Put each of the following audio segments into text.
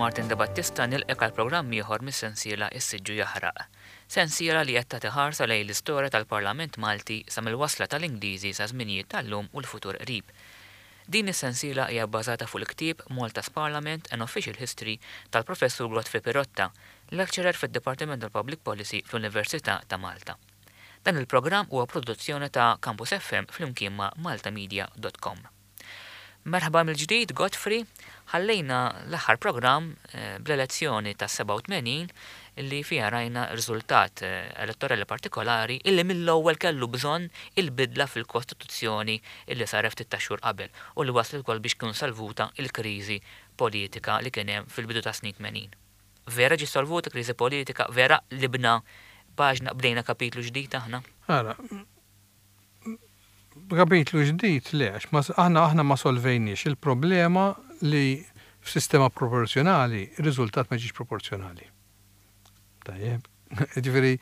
Martin Debattista nilqgħek għal programm ieħor mis-sensiela Is-Siġġu Jaħraq. Sensiela li qed tagħti ħarsa lejn l-istorja tal-Parlament Malti sa mill-wasla tal-Ingliżi sa żminijiet tal-lum u l-futur qrib. Din is-sensiela hija bbażata fuq il-ktieb Malta's Parliament, An Official History tal-Professur Godfrey Pirotta, lecturer fid-Dipartiment tal-Public Policy fl-Università ta' Malta. Dan il-programm huwa produzzjoni ta' Campus FM flimkien ma' maltamedia dot com. Merħba mill-ġdid Godfrey, ħallejna l-aħħar programm bl-elezzjoni tas-87 illi fiha rajna riżultat elettorali partikolari illi mill-ewwel kellu bżonn il-bidla fil-Kostituzzjoni illi saret ftit tax-xhur qabel u li wasslet ukoll biex tkun solvuta l-kriżi politika li kien hemm fil-bidu tas-snin 80. Vera ġiet solvuta kriżi politika? Vera qlibna paġna, bdejna kapitlu ġdid aħna? Ara, Kapitlu ġdid le, għax ma, aħna aħna ma solvejniex il-problema li f'sistema proporzjonali r-riżultat ma jiġix proporzjonali. Tajjeb. Jiġifieri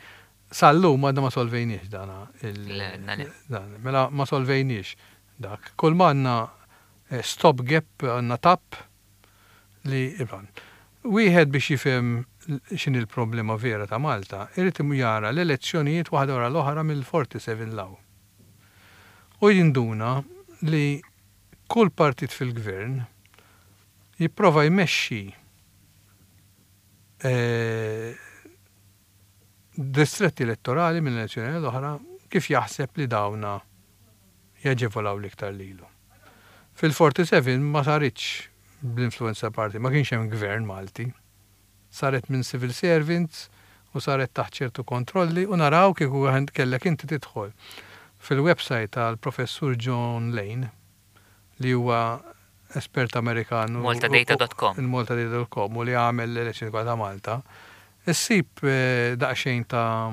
sal-lum għadna ma solvejniex dana il. Le, għadna le. Dan, mela ma solvejniex dak. Kull ma għandna stop gap, għandna tap li Wieħed biex jifhem x'inhi l-problema vera ta' Malta, irid jara l-elezzjonijiet waħda wara l-oħra mill-47 'l hawn. U jinduna li kull partit fil-gvern jipprova jmexxi distretti elettorali minn elezzjoni għal oħra kif jaħseb li dawna jaġevolaw l-iktar lilu. Fil-47 ma saritx bl-influenza party, ma kienx hemm gvern Malti. Saret minn civil servants u saret taħt ċertu kontrolli u naraw kieku kellek inti tidħol fil-website tal-Professur John Lane li huwa espert Amerikan u Maltadata.com. Il-Maltadata.com u li għamel l-elezzjoni kollha ta' Malta, issib daqsxejn ta'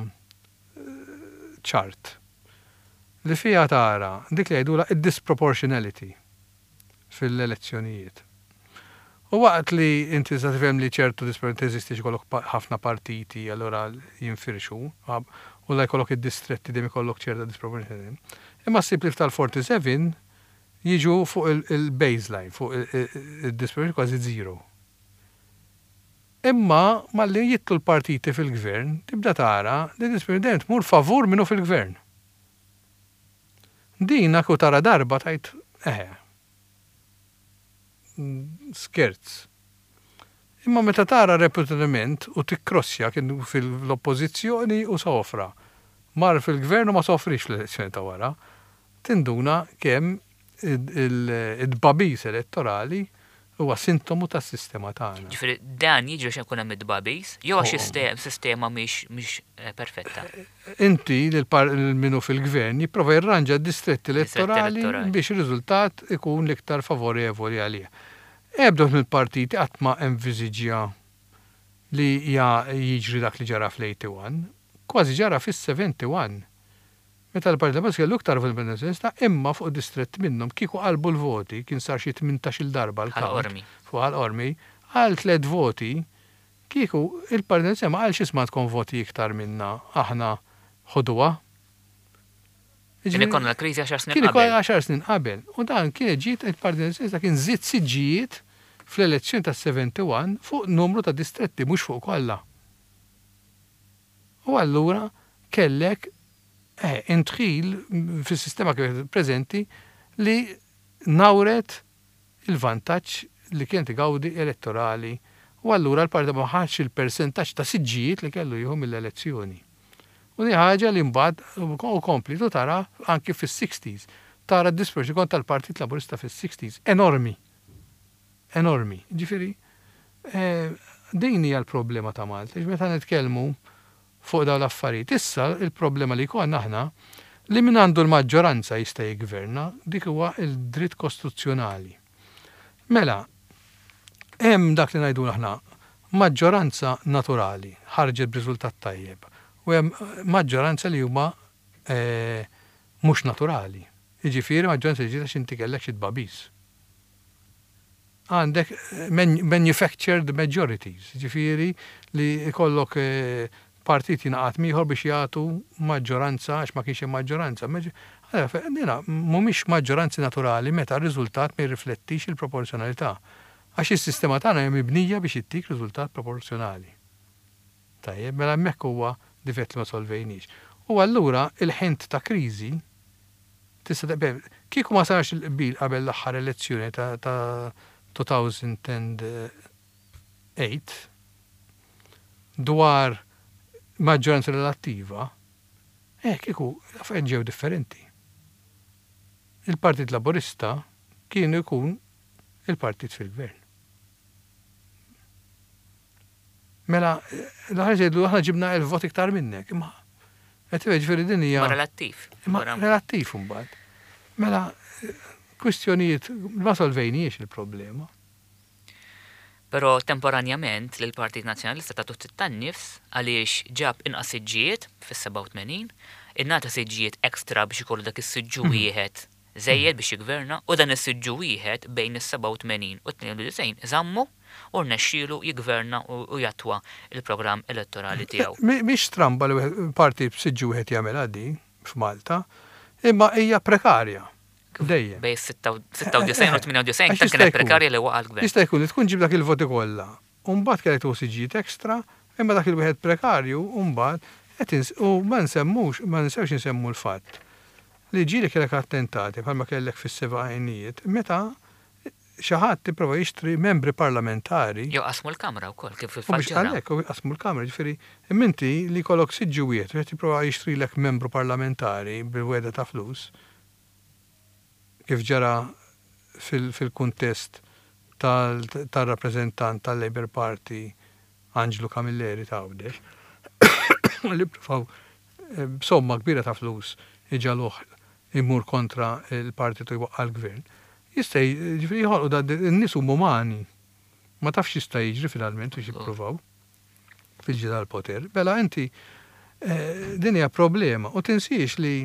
chart li fiha tara dik li jgħidulha id-disproportionality fil-elezzjonijiet. U waqt li inti tista' tifhem li ċertu disproportionality teżisti għax ikollok ħafna partiti allura jinfirxu u la jkollok id-distretti dejjem ikollok ċerta disproportionality. Imma ssib li f'tal-47 jiġu fuq il-baseline, fuq id-disproportionality kważi zero. Imma malli jidħlu l-partiti fil-gvern tibda tara li d-disproportionality dejjem tmur favur min hu fil-gvern. Din kieku tara darba tgħid eħe. Skerz. Imma meta tara repetutament u tikkrossja kien fil-oppożizzjoni u sofra. Mar fil-gvern u ma sofrix fl-elezzjoni ta' wara. Tinduna kemm id-tbagħbis elettorali huwa sintomu tas-sistema tagħna. Ġifieri dan jiġri għax ikun hemm it-tbagħbis jew għax is-sistema mhix perfetta? Inti lil min hu fil-gvern jipprova jirranġa d-distretti elettorali biex ir-riżultat ikun l-iktar favorevoli għalih. Ebda wieħed mill-partiti qatt ma enviżiġja li jiġri dak li ġara fl-81. Kważi ġara fis-71. Meta l-Partit Laburista kellu iktar voti mill-Partit Nazzjonalista imma fuq distrett minnhom kieku qalbu l-voti, kien sar xi tmintax-il darba l-count fuq Ħal Qormi, għal tlett voti, kieku il-Partit Nazzjonalista ma qalx isma' għandkom voti iktar minna aħna ħuduha. Kien ikollna l-kriżi għaxar snin qabel. Kien ikollna għaxar snin qabel. U dan kienet ġiet il-Partit Nazzjonalista kien żied siġġijiet fl-elezzjoni tas-71 fuq numru ta' distretti mhux fuq kollha. U allura kellek eh, indħil fis-sistema kif preżenti li nawret il-vantaġġ li kienet igawdi elettorali u allura l-partit ma ħax il-persentaġġ ta' siġġijiet li kellu jieħu mill-elezzjoni. U di ħaġa li mbagħad u kompliet u tara anki fis-sixties. Tara d-disproċ kont tal-Partit Laburista fis-sixties, enormi. Enormi. Ġifieri, din hija l-problema ta' Malta, meta nitkellmu fuq dawn l-affarijiet. Issa il-problema li jkollna aħna li min għandu l-maġġoranza jista' jiggverna, dik huwa l-dritt kostituzzjonali. Mela, hemm dak li ngħidulu aħna maġġoranza naturali ħarġet b'riżultat tajjeb u hemm maġġoranza li huma mhux naturali. Jiġifieri maġġoranza li ġiet għax inti kellek xi tbagħbis. Għandek manufactured majorities, jiġifieri li jkollok partit jingħaqad m'ieħor biex jagħtu maġġoranza għax ma kienx hemm maġġoranza. Dina mhumiex maġġoranzi naturali meta r-riżultat ma jirriflettix il-proporzjonalità. Għax is-sistema tagħna hija mibnija biex ittik riżultat proporzjonali. Tajjeb, mela hemmhekk huwa difett li ma solvejniex. U allura il-ħint ta' kriżi tista' kieku ma sarx il-qbil qabel l-aħħar elezzjoni ta' 2008 dwar maġġoranza relattiva, eh kieku l-affarijiet ġew differenti. Il-Partit Laburista kienu jkun il-partit fil-gvern. Mela, l-aħħar jgħidu aħna ġibna 1000 vot iktar minnek, imma qed jiġifieri din hija. Ma relattiv. Imma relattiv imbagħad. Mela, kwistjonijiet ma solvejniex il-problema. Però temporanjament lill-Partit Nazzjonalista tatu ftit tan-nifs għaliex ġab inqas siġġijiet fis-87, ingħata siġġijiet extra biex ikollu dak is-siġġu wieħed żejjed biex jiggverna u dan is-siġġu wieħed bejn is-87 u t-92 żammu u rnexxielu jiggverna u jattwa l-programm elettorali tiegħu. Mhix stramba li partit b'siġġu wieħed jagħmilha din f'Malta, imma hija prekarja. Dejjem. Bejn 96 u 98 ta' kienet prekarja li waqa' l-gvern. Jista' jkun li tkun ġib dak il-voti kollha u mbagħad kellek tieħu siġġijiet extra, imma dak il-wieħed prekarju mbagħad qed u ma nsemmux, ma ninsewx insemmu l-fatt li ġieli kellek attentati bħalma kellek fis-sebgħinijiet meta xi ħadd ipprova jixtri membri parlamentari. Jew qasmu l-Kamra wkoll kif fil-fatt ġara. Għalhekk, u qasmu l-Kamra, jiġifieri imma inti li jkollok siġġu wieħed u qed jipprova jixtrilek membru parlamentari bil-wegħda ta' flus, kif ġara fil-kuntest tar-rappreżentant tal-Labour Party Anġlu Camilleri ta' Għawdex, li ppruvaw b'somma kbira ta' flus iġagħluh imur kontra l-partit u jwaqqa' l-gvern, jista' jiġifieri joħolqu da in-nies huma umani. Ma tafx x'jista' jiġri finalment biex jippruvaw fil-ġlieda għall-poter. Mela inti din hija problema u tinsiex li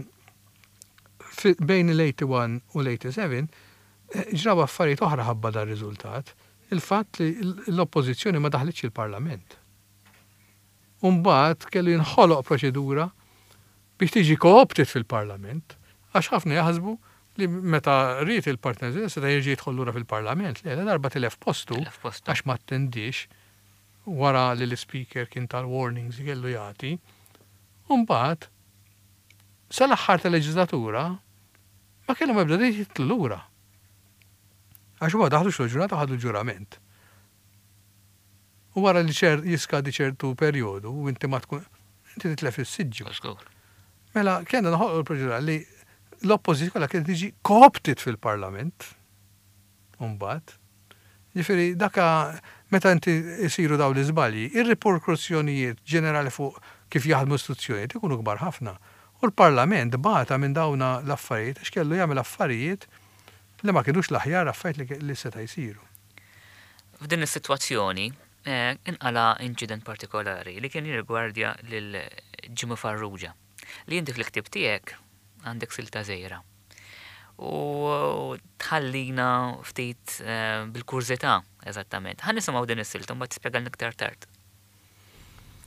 bejn il-81 u l-87 ġraw affarijiet oħra ħabba dar-riżultat. Il-fatt li l-Oppożizzjoni ma daħlitx il-Parlament. U mbagħad kellu jinħoloq proċedura biex tiġi co-opted fil-Parlament, għax ħafna jaħsbu li meta ried il-Partit Nazzjonalista seta' jerġa' jidħol lura fil-Parlament. Le, ladarba tilef postu għax ma attendiex wara li l-Ispeaker kien ta l-warnings li kellu jagħti, u mbagħad sal-aħħar tal-leġiżlatura ma kellhom ebda dritt jidħlu lura. Għax huma daħlu xogħol ġurnata u ħadu l-ġurament. U wara li ċer jiskadi ċertu perjodu u inti ma tkun inti titlef is-siġġu. Żgur. Mela kellna noħolqu l-proċedura li l-oppożizzjoni kollha kienet tiġi co-opted fil-Parlament. Umbagħad. Ġifieri daka meta inti jsiru dawn l-iżbalji, ir-riperkussjonijiet ġenerali fuq kif jaħdmu l-istituzzjonijiet ikunu kbar ħafna. U l-Parlament bata minn dawna l-affarijiet għax kellu jagħmel affarijiet li ma kinux l-aħjar affarijiet li seta' jsiru. F'din is-sitwazzjoni inqala' inċident partikolari li kien jirrigwardja lil Jimmy Farrugia, li inti fil-ktieb tiegħek għandek silta żgħira. U tħallina ftit bil-kurżità eżattament. Ħa nisimgħu din is-silta u mbagħad tispjegalna iktar tard.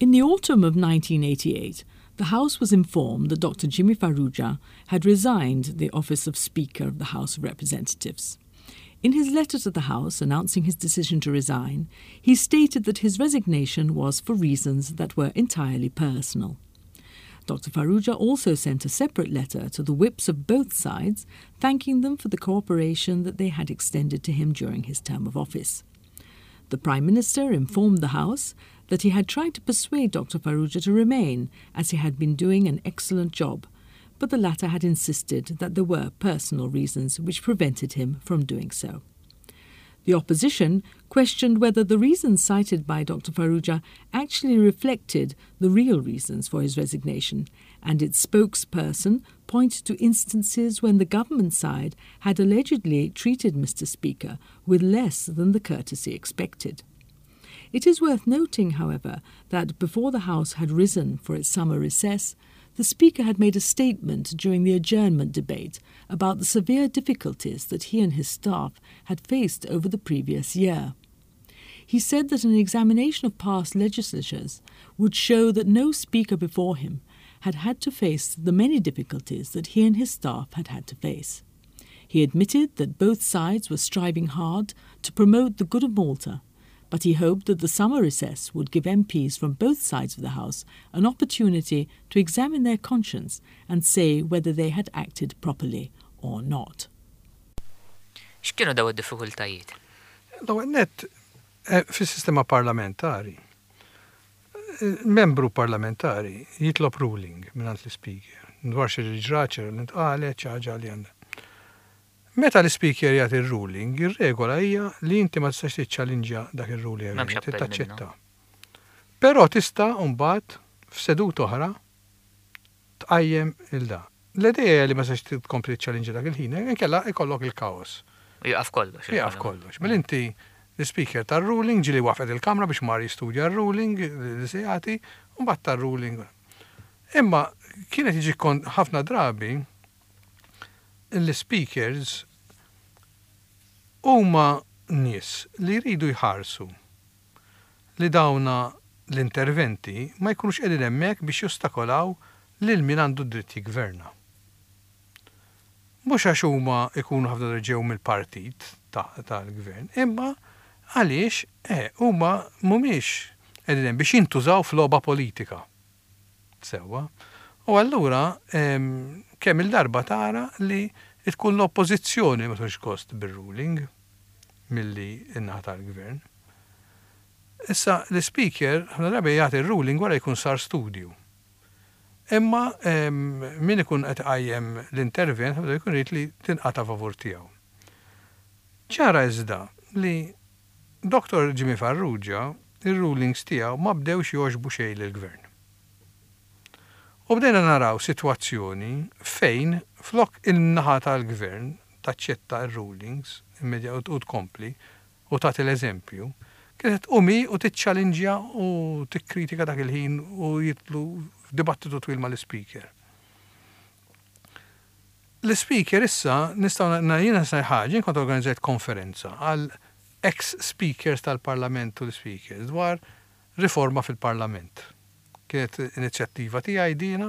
In the autumn of 1988, the House was informed that Dr. Jimmy Farrugia had resigned the office of Speaker of the House of Representatives. In his letter to the House announcing his decision to resign, he stated that his resignation was for reasons that were entirely personal. Dr. Farrugia also sent a separate letter to the whips of both sides, thanking them for the cooperation that they had extended to him during his term of office. The Prime Minister informed the House that he had tried to persuade Dr. Farrugia to remain, as he had been doing an excellent job, but the latter had insisted that there were personal reasons which prevented him from doing so. The opposition questioned whether the reasons cited by Dr. Farrugia actually reflected the real reasons for his resignation, and its spokesperson pointed to instances when the government side had allegedly treated Mr. Speaker with less than the courtesy expected. It is worth noting, however, that before the House had risen for its summer recess, the Speaker had made a statement during the adjournment debate about the severe difficulties that he and his staff had faced over the previous year. He said that an examination of past legislatures would show that no Speaker before him had had to face the many difficulties that he and his staff had had to face. He admitted that both sides were striving hard to promote the good of Malta, but he hoped that the summer recess would give MPs from both sides of the House an opportunity to examine their conscience and say whether they had acted properly or not. X'kienu daw id-diffikultajiet? L-ewwel nett, eh, fis-sistema parlamentari, eh, membru parlamentari jitlob ruling mingħand l-ispeaker dwar xi ġrat, xi li ntqalet, xi ħaġa li għandha. Meta l-ispeaker jagħti r-ruling, ir-regola hija li inti ma tistax tiċċallinġja dak ir-ruling, M'hemmx appell taċċetta. Però tista' mbagħad f'seduta oħra tqajjem il-da. L-idea hija li ma tistax tkompli tiċċallinġja dak il-ħin, inkella ikollok il-kaos. Jaqaf kollox. Jaqaf kollox. Mela inti l-speaker tar-ruling ġieli waqfet il-kamra biex mar jistudja r-ruling li se jagħti, u mbagħad tar-ruling. Imma kienet jiġi ħafna drabi l-speakers huma nies li jridu jħarsu li dawna l-interventi ma jkunux qegħdin hemmhekk biex jostakolaw lil min għandu dritt jiggverna. Mhux għax huma jkunu ħafna drabi ġew mill-partit tal-gvern, imma għaliex eh, huma mhumiex qegħdin hemm biex jintużaw f'logħba politika. Sewwa. U allura kemm il-darba tara li tkun l-oppożizzjoni ma tkunx gost bir-ruling milli n-naħa tal-gvern. Issa l-speaker ħafna drabi jagħti r-ruling wara jkun sar studju. Imma min ikun qed iqajjem l-intervent ħafna drabi jkun irid li tinqata' favur tiegħu. Ċara iżda li Dr. Jimmy Farrugia ir-rulings tiegħu ma bdewx jogħġbu xejn lill-gvern. U bdejna naraw sitwazzjoni fejn flok in-naħa tal-gvern taċċetta r-rulings u tkompli u tagħti l-eżempju, kienet tqum hi u tiċċallinġja u tikkritika dak il-ħin u jidħlu f'dibattitu twil mal-ispeaker. L-ispeaker issa nistgħu jiena nista' ħaġa, jien kont organizzajt konferenza għal ex-speakers tal-Parlament u l-speakers dwar riforma fil-Parlament. Kienet inizjattiva tiegħi dina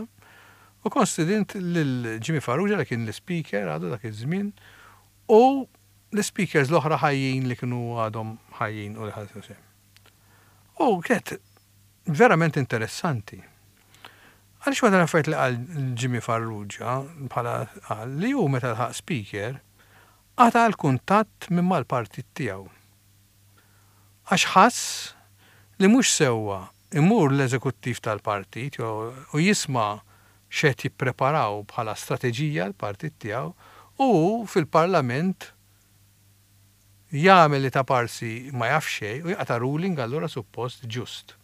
u kont stedint lil Jimmy Farrugia li kien l-speaker għadu dak iż-żmien u l-speakers l-oħra ħajjin li kienu għadhom ħajjin u li ħadu sehem. U kienet verament interessanti. Għaliex waħda l-affarijiet li qal Jimmy Farrugia bħala qal li hu meta lħaq speaker qata' l-kuntatt minn mal-partit tiegħu. Għax ħass li mhux sewwa imur l-eżekuttiv tal-partit u jisma' x'qed jippreparaw bħala strateġija l-partit tiegħu u hu fil-Parlament jagħmel li ta' parsi ma jaf xejn u jaqta' ruling allura suppost ġust.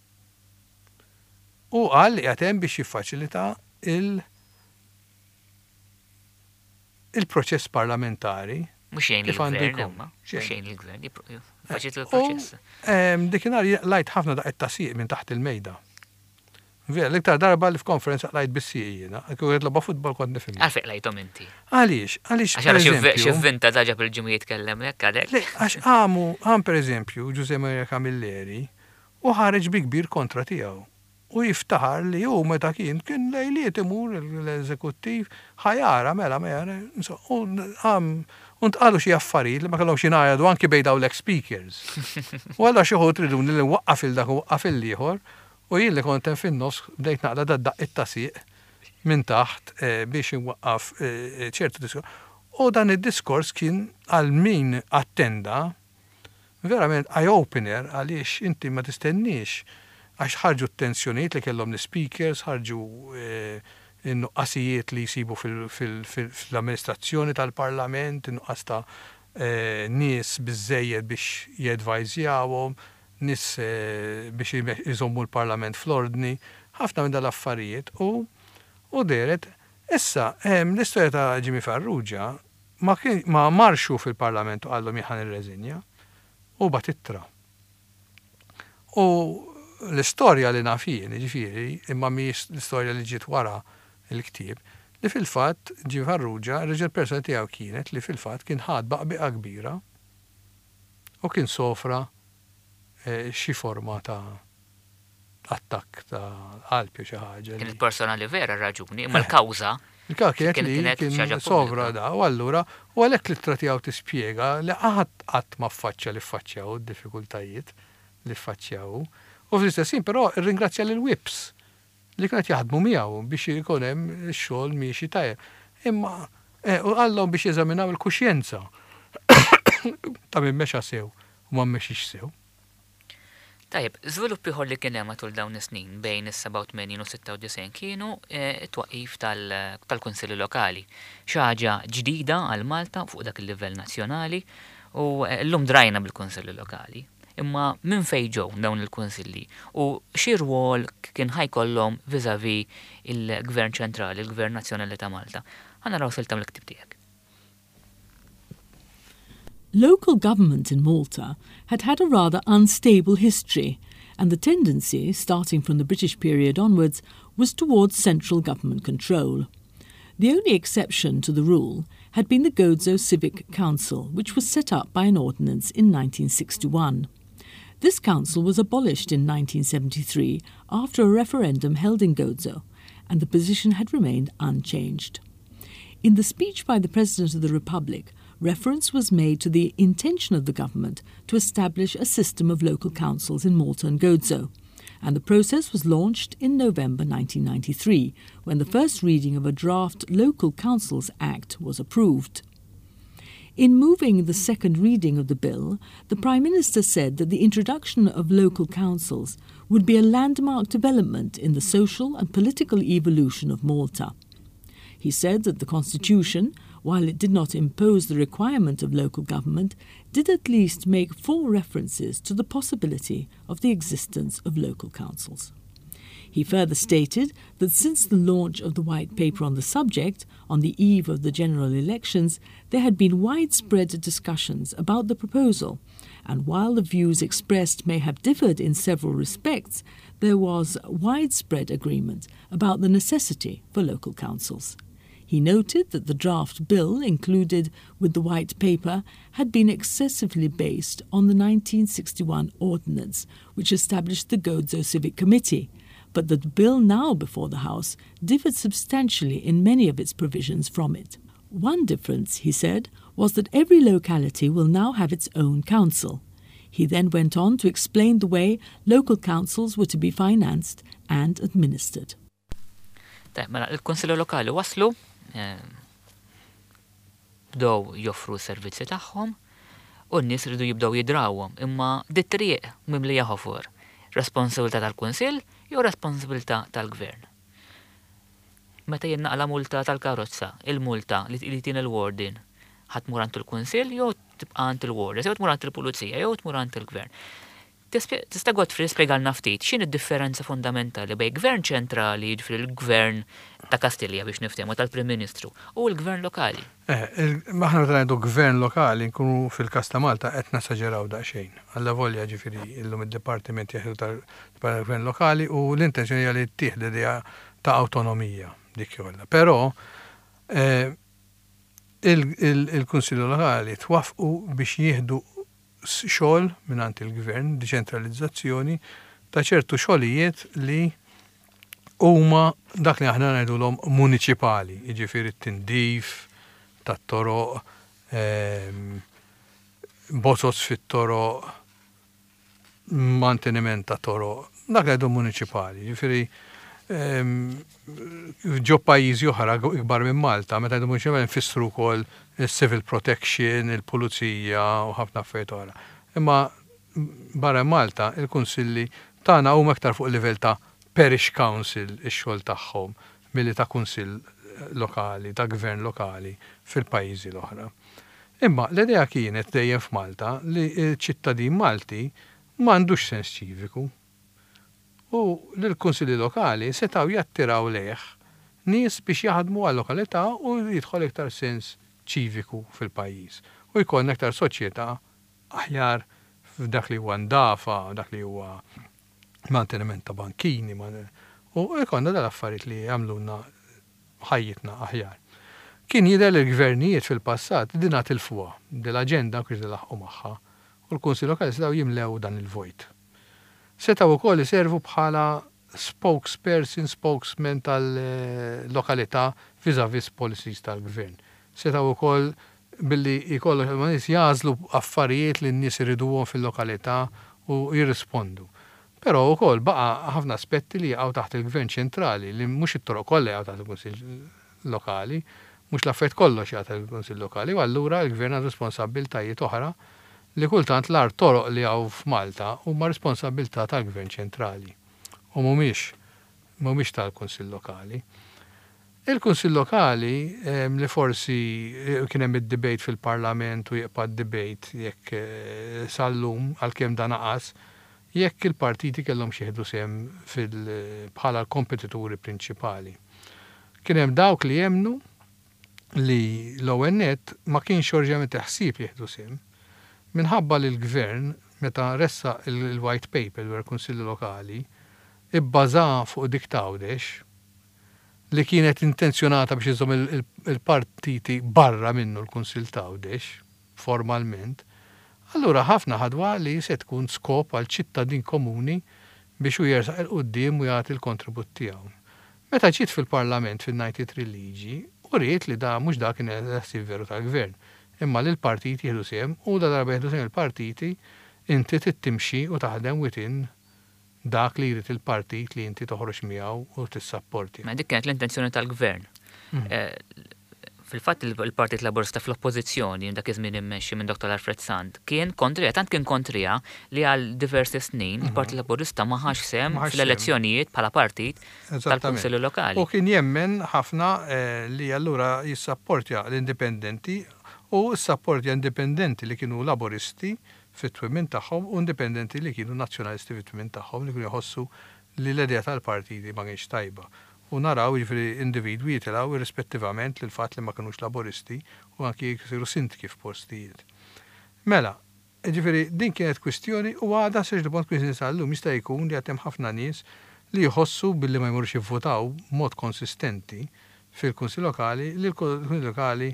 Hu qal li qiegħed hemm biex jiffaċilita il il-proċess parlamentari Mhux jgħin kif għandu il-gvern jkun. imma, mhux Xejn. jgħin il-gvern, jiffaċilita U l-proċess. Dikinhar lajt ħafna daqqiet ta' sieq minn taħt il-mejda. Vera, l-iktar darba li f'konferenza lajt bis-sieq jiena, kieku qed logħba futbol kont nifhem. Għalfejn lajthom inti? Għaliex? Għaliex Għax ara xi pereżempju. vvinta daġa bil-ġimgħa jitkellem hekk għalhekk. Le, għax qamu, qam pereżempju Ġużè Maria Camilleri u ħareġ bi kbir kontra tiegħu. U jiftaħar li hu meta kien kien lejliet imur l-eżekuttiv ħa jara mela ma jara, insomma, u qam u ntqalu xi affarijiet li ma kellhomx jingħajdu anki bejn dawn l-ex-speakers. U allura xi wħud riduni li nwaqqaf il dak u waqqaf il-ieħor u jien li kont hemm fin-nofs bdejt naqla' dad-daqqiet ta' sieq minn taħt biex inwaqqaf ċertu diskors. U dan id-diskors kien għal min attenda verament eye-opener għaliex inti ma tistenniex għax ħarġu t-tensjonijiet li kellhom l-ispeakers, ħarġu n-nuqqasijiet li jsibu fl-amministrazzjoni tal-Parlament, in-nuqqas ta' nies biżżejjed biex jedvajżjawhom, nies biex iżommu l-Parlament fl-ordni, ħafna minn dal-affarijiet u u dehret. Issa, l-istorja ta' Jimmy Farrugia ma kien ma marx hu fil-Parlament u qallhom jien ħa nirreżinja, hu bagħat ittra. U l-istorja li naf jien, jiġifieri, imma mhijiex l-istorja li ġiet wara l-ktieb, li fil-fatt Jimmy Farrugia, ir-raġuni personali tiegħu kienet li fil-fatt kien ħa tbaqbiqa kbira u kien sofra xi forma ta' attakk ta' qalb jew xi ħaġa. Kienet personali vera r-raġuni, imma l-kawża. Il-kawża kienet li kien sovra da u allura u għalhekk l-ittra tiegħu tispjega li ħadd qatt ma ffaċċja li ffaċċja hu d-diffikultajiet li ffaċċja hu. U fl-istess ħin però rringrazzja lill-whips li kienu qed jaħdmu miegħu biex ikun hemm ix-xogħol miexi tajjeb. Imma u qallhom biex jeżaminaw il-kuxjenza ta' min mexa sew u ma mexiex sew. Tajjeb, żvilupp ieħor li kien hemm matul dawn is-snin bejn is-87 u 96 kienu t-twaqqif tal-kunsilli lokali. Xi ħaġa ġdida għal Malta fuq dak il-livell nazzjonali u llum drajna bil-kunsilli lokali. Imma minn fejn ġew dawn il-kunsilli u xi rwol kien ħa jkollhom vis-à-vis il-Gvern ċentrali, il-Gvern Nazzjonali ta' Malta? Ħa naraw silta mill-ktieb tiegħek. Local government in Malta had had a rather unstable history, and the tendency, starting from the British period onwards, was towards central government control. The only exception to the rule had been the Gozo Civic Council, which was set up by an ordinance in 1961. This council was abolished in 1973 after a referendum held in Gozo, and the position had remained unchanged. In the speech by the President of the Republic, reference was made to the intention of the government to establish a system of local councils in Malta and Gozo. And the process was launched in November 1993, when the first reading of a draft Local Councils Act was approved. In moving the second reading of the bill, the Prime Minister said that the introduction of local councils would be a landmark development in the social and political evolution of Malta. He said that the Constitution, while it did not impose the requirement of local government, did at least make four references to the possibility of the existence of local councils. He further stated that since the launch of the White Paper on the subject, on the eve of the general elections, there had been widespread discussions about the proposal, and while the views expressed may have differed in several respects, there was widespread agreement about the necessity for local councils. He noted that the draft bill included with the White Paper had been excessively based on the 1961 Ordinance, which established the Gozo Civic Committee, but that the bill now before the House differed substantially in many of its provisions from it. One difference, he said, was that every locality will now have its own council. He then went on to explain the way local councils were to be financed and administered. Tajjeb, mela il-Kunsilli Lokali waslu, eh, bdew joffru s-servizzi tagħhom u n-nies ridu jibdew jidrawhom, imma dit-triq mimlija ħofor. Responsabilità tal-Kunsill jew responsabilità tal-Gvern? Meta jien naqla' multa tal-karozza, il-multa li tini l-warden, ħa tmur għand il-Kunsill jew tibqa' għand il-warden, jew tmur għand il-Pulizija jew tmur għand il-Gvern. Tista' Godfrey tispjegalna ftit x'inhi d-differenza fundamentali bejn gvern ċentrali, jiġifieri l-gvern ta' Kastilja biex niftehmu tal-Prim Ministru, u l-gvern lokali? Eh, aħna meta ngħidu gvern lokali nkunu fil-każ ta' Malta qed nesaġeraw daqsxejn. Allavolja ġifieri illum id-dipartiment jeħdu tal-gvern lokali u l-intenzjoni hija li ttieħ l-idea ta' awtonomija dik kollha. Però eh, il-Kunsilli Lokali twaffqu biex jieħdu xogħol mingħand il-gvern, diċentralizzazzjoni ta' ċertu xogħlijiet li huma dak li aħna ngħidulhom muniċipali, jiġifieri t-tindif tat-toroq, ehm, bozoz fit-toroq, manteniment ta' toroq, dak li għidu muniċipali, jiġifieri ehm, ġo pajjiżi oħra ikbar minn Malta, meta ngħidu muniċipali nfissru wkoll il-civil protection, il-pulizija u ħafna affarijiet oħra. Imma barra Malta il-kunsilli tagħna huma iktar fuq livell ta' parish council ix-xogħol tagħhom milli ta' kunsill lokali, ta' gvern lokali fil-pajjiżi l-oħra. Imma l-idea kienet dejjem f'Malta li ċ-ċittadin Malti m'għandux sens ċiviku. U li l-kunsilli lokali setgħu jattiraw lejh nies biex jaħdmu għal-lokalità u jidħol iktar sens ċiviku fil-pajjiż u jkollna iktar soċjetà aħjar f'dak li huwa ndafa, dak li huwa manteniment ta' bankini, u jkollna dal-affarijiet li jagħmlulna ħajjitna aħjar. Kien jidher li l-gvernijiet fil-passat dinha tilfuha, dil-aġenda ma kienx laħqu magħha u l-Kunsill Lokali setgħu jimlew dan il-vojt. Setgħu wkoll iservu bħala spokesperson, spokesman tal-lokalità vis-à-vis policies tal-gvern. Setgħu wkoll billi jkollok ma' nies jagħżlu affarijiet li n-nies iriduhom fil-lokalità u jirrispondu. Però wkoll baqa' ħafna aspetti li jaqgħu taħt il-gvern ċentrali li mhux it-toroq kollha jaqgħu taħt il-Kunsill Lokali, mhux l-affarijiet kollox jaqa' taħt il-Kunsill Lokali u allura l-gvern għandu responsabbiltajiet oħra li kultant l-agħar toroq li hawn f'Malta huma responsabbiltà tal-gvern ċentrali u mhumiex mhumiex tal-Kunsill Lokali. Il-Kunsill Lokali li forsi kien hemm id-debate fil-Parlament u jibqa' d-debate jekk sal-lum għalkemm dan naqas, jekk il-partiti kellhomx jieħdu sehem fil bħala l-kompetituri prinċipali. Kien hemm dawk li jemmnu li l-ewwel nett ma kienx oriġinarjament il-ħsieb li jieħdu sehem. Minħabba li l-Gvern meta ressaq il-White Paper dwar il-Kunsilli Lokali ibbażaha fuq dik t'Għawdex, li kienet intenzjonata biex iżżomm il-partiti barra minnu l-Kunsill t'Għawdex, formalment, allura ħafna ħadwa li se tkun skop għal ċittadin komuni biex hu jersaq 'il quddiem u jagħti l-kontribut tiegħu. Meta ġiet fil-Parlament fin-93 liġi, uriet li da mhux dak kien il-ħsieb veru tal-Gvern, imma li l-partiti jieħdu sehem u ladarba jieħdu sehem il-partiti, inti trid timxi u taħdem within dak li jrid il-partit li inti toħroġ miegħu u tissapporti. Mela dik kienet l-intenzjoni tal-Gvern. Fil-fatt il-Partit Laburista fl-Oppożizzjoni, dak iż-żmien immexxi minn Dottor Alfred Sant, kien kontriha, tant kien kontriha li għal diversi snin il-Partit Laburista ma ħax sehem fl-elezzjonijiet bħala partit tal-Kunsilli Lokali. U kien jemmen ħafna li allura jissapportja l-indipendenti u ssapportja indipendenti li kienu Laburisti fit-twemmin tagħhom u indipendenti li kienu Nazzjonalisti fit-twemmin tagħhom li kienu jħossu li l-idea tal-partiti ma kienx tajba. U naraw jiġifieri individwi jitilgħu irrispettivament lill-fatt li ma kinux Laburisti u anki jsiru sindki f'postijiet. Mela, jiġifieri din kienet kwistjoni u għadha sa ċertu punt kwistjoni sal-lum. Jista' jkun li għad hemm ħafna nies li jħossu billi ma jmorrux jivvutaw b'mod konsistenti fil-Kunsill Lokali li l-Kunsilli Lokali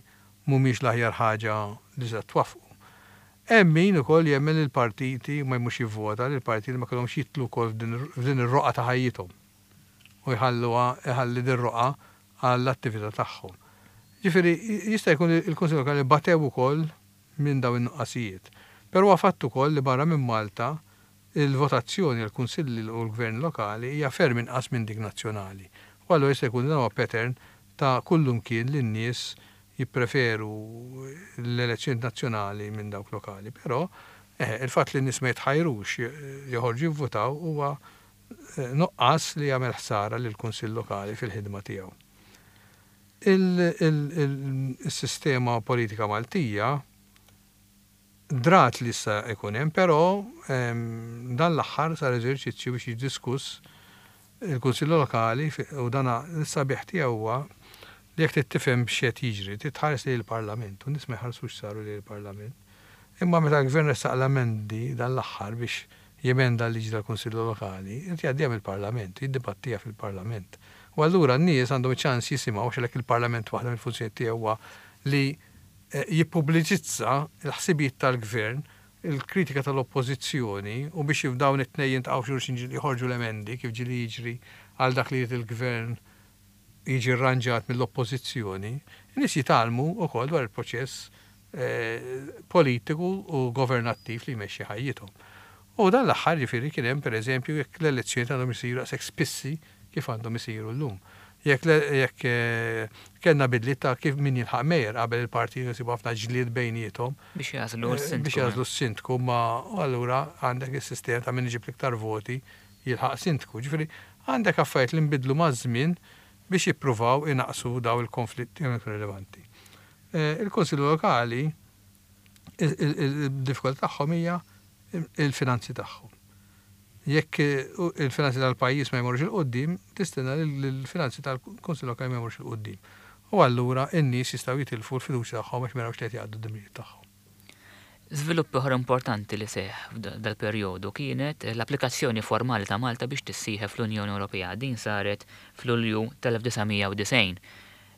mhumiex l-aħjar ħaġa li tista' twaffqu. Hemm min ukoll jemmen li l-partiti ma jmurx jivvota, li l-partiti ma kellhomx jidħlu wkoll f'din ir-roqgħa ta' ħajjithom u jħalluha iħalli dir-roqgħa għall-attività tagħhom. Ġifieri jista' jkun li l-Kunsill Lokali batew ukoll minn dawn in-nuqqasijiet. Però huwa fatt ukoll li barra minn Malta il-votazzjoni għall-Kunsilli u l-Gvern Lokali hija ferm inqas minn dik nazzjonali. U allura jista' jkun li dan huwa pattern ta' kullumkien li n-nies jippreferu l-elezzjonijiet nazzjonali minn dawk lokali. Però, eħe, il-fatt li n-nies ma jitħajrux joħorġu jivvutaw huwa nuqqas li jagħmel ħsara lill-Kunsill Lokali fil-ħidma tiegħu. Il-sistema politika Maltija drat li issa jkun hemm, però dan l-aħħar sar eżerċizzju biex jiġi diskuss il-Kunsill Lokali u dan is-sabiħ tiegħu huwa li jekk trid tifhem x'qed jiġri trid tħares lejn il-Parlament u n-nies ma jħarsux saru lejn il-Parlament. Imma meta l-Gvern ressaq l-emendi dan l-aħħar biex jemenda l-liġi tal-Kunsilli Lokali, irid jgħaddiha mill-Parlament, jiddibattiha fil-Parlament. U allura n-nies għandhom iċ-ċans jisimgħu għax għalhekk il-Parlament waħda mill-funzjonijiet tiegħu huwa li jippubliċizza l-ħsibijiet tal-Gvern, il-kritika tal-Oppożizzjoni u biex dawn it-tnejn jiltaqgħu f'xulxin joħorġu l-emendi kif ġieli jiġri għal dak li jrid il-Gvern jiġi rranġat mill-Oppożizzjoni, in-nies jitgħallmu wkoll dwar il-proċess politiku u governattiv li jmexxi ħajjithom. U dan l-aħħar jiġifieri kien hemm pereżempju jekk l-elezzjonijiet għandhom isiru daqshekk spissi kif għandhom isiru llum. Jekk jekk kellna bidliet ta' kif min jilħaq mayor qabel il-partiti kienu jsibu ħafna ġlied bejniethom. Biex jagħżlu s-sindku. Biex jagħżlu s-sindku imma allura għandek is-sistema ta' min iġib l-iktar voti jilħaq sindku. Ġifieri għandek affarijiet li nbidlu maż-żmien biex jippruvaw inaqqsu dawn il-konflitti rilevanti. Il-Kunsilli Lokali il-diffikultà tagħhom hija il-finanzi tagħhom. Jekk il-finanzi tal-pajjiż ma jmorrux 'il quddiem, tistenna li l-finanzi tal-Kunsill Lokali ma jmorrux 'il quddiem. U allura n-nies jistgħu jitilfu l-fiduċja tagħhom għax ma jarawx li qed jgħaddu d-dmirijiet tagħhom. Żvilupp ieħor importanti li seħħ f'dal-perjodu kienet l-applikazzjoni formali ta' Malta biex tissieħeb fl-Unjoni Ewropea. Din saret f'Lulju tal-1990.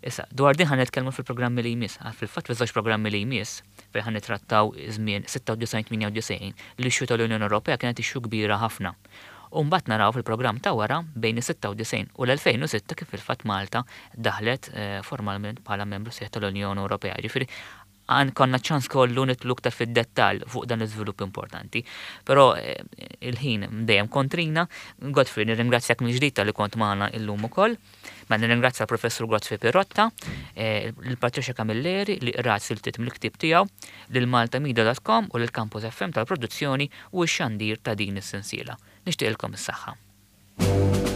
Issa, dwar din ħa nitkellmu fil-programmi li jmiss. Fil-fatt fiż-żewġ programmi li jmiss, fejn ħa nittrattaw iż-żmien 96-98, l-issue tal-Unjoni Ewropea kienet issue kbira ħafna. U mbagħad naraw fil-programm ta' wara bejn is-96 u l-2006 kif fil-fatt Malta daħlet formalment bħala membru sħiħ tal-Unjoni Ewropea. Ġifieri għan konna ċans kollu nidħlu iktar fid-dettall fuq dan l-iżvilupp importanti. Però il-ħin dejjem kontrina. Godfrey, nirringrazzjak mill-ġdid talli kont magħna illum ukoll. Ma nirringrazzja l-Professur Godfrey Pirotta, lil Patricia Camilleri li qrat siltiet mill-ktieb tiegħu, lil maltamedia.com u lil Campus FM tal-produzzjoni u x-xandir ta' din is-sensiela. Nixtieqilkom is-saħħa.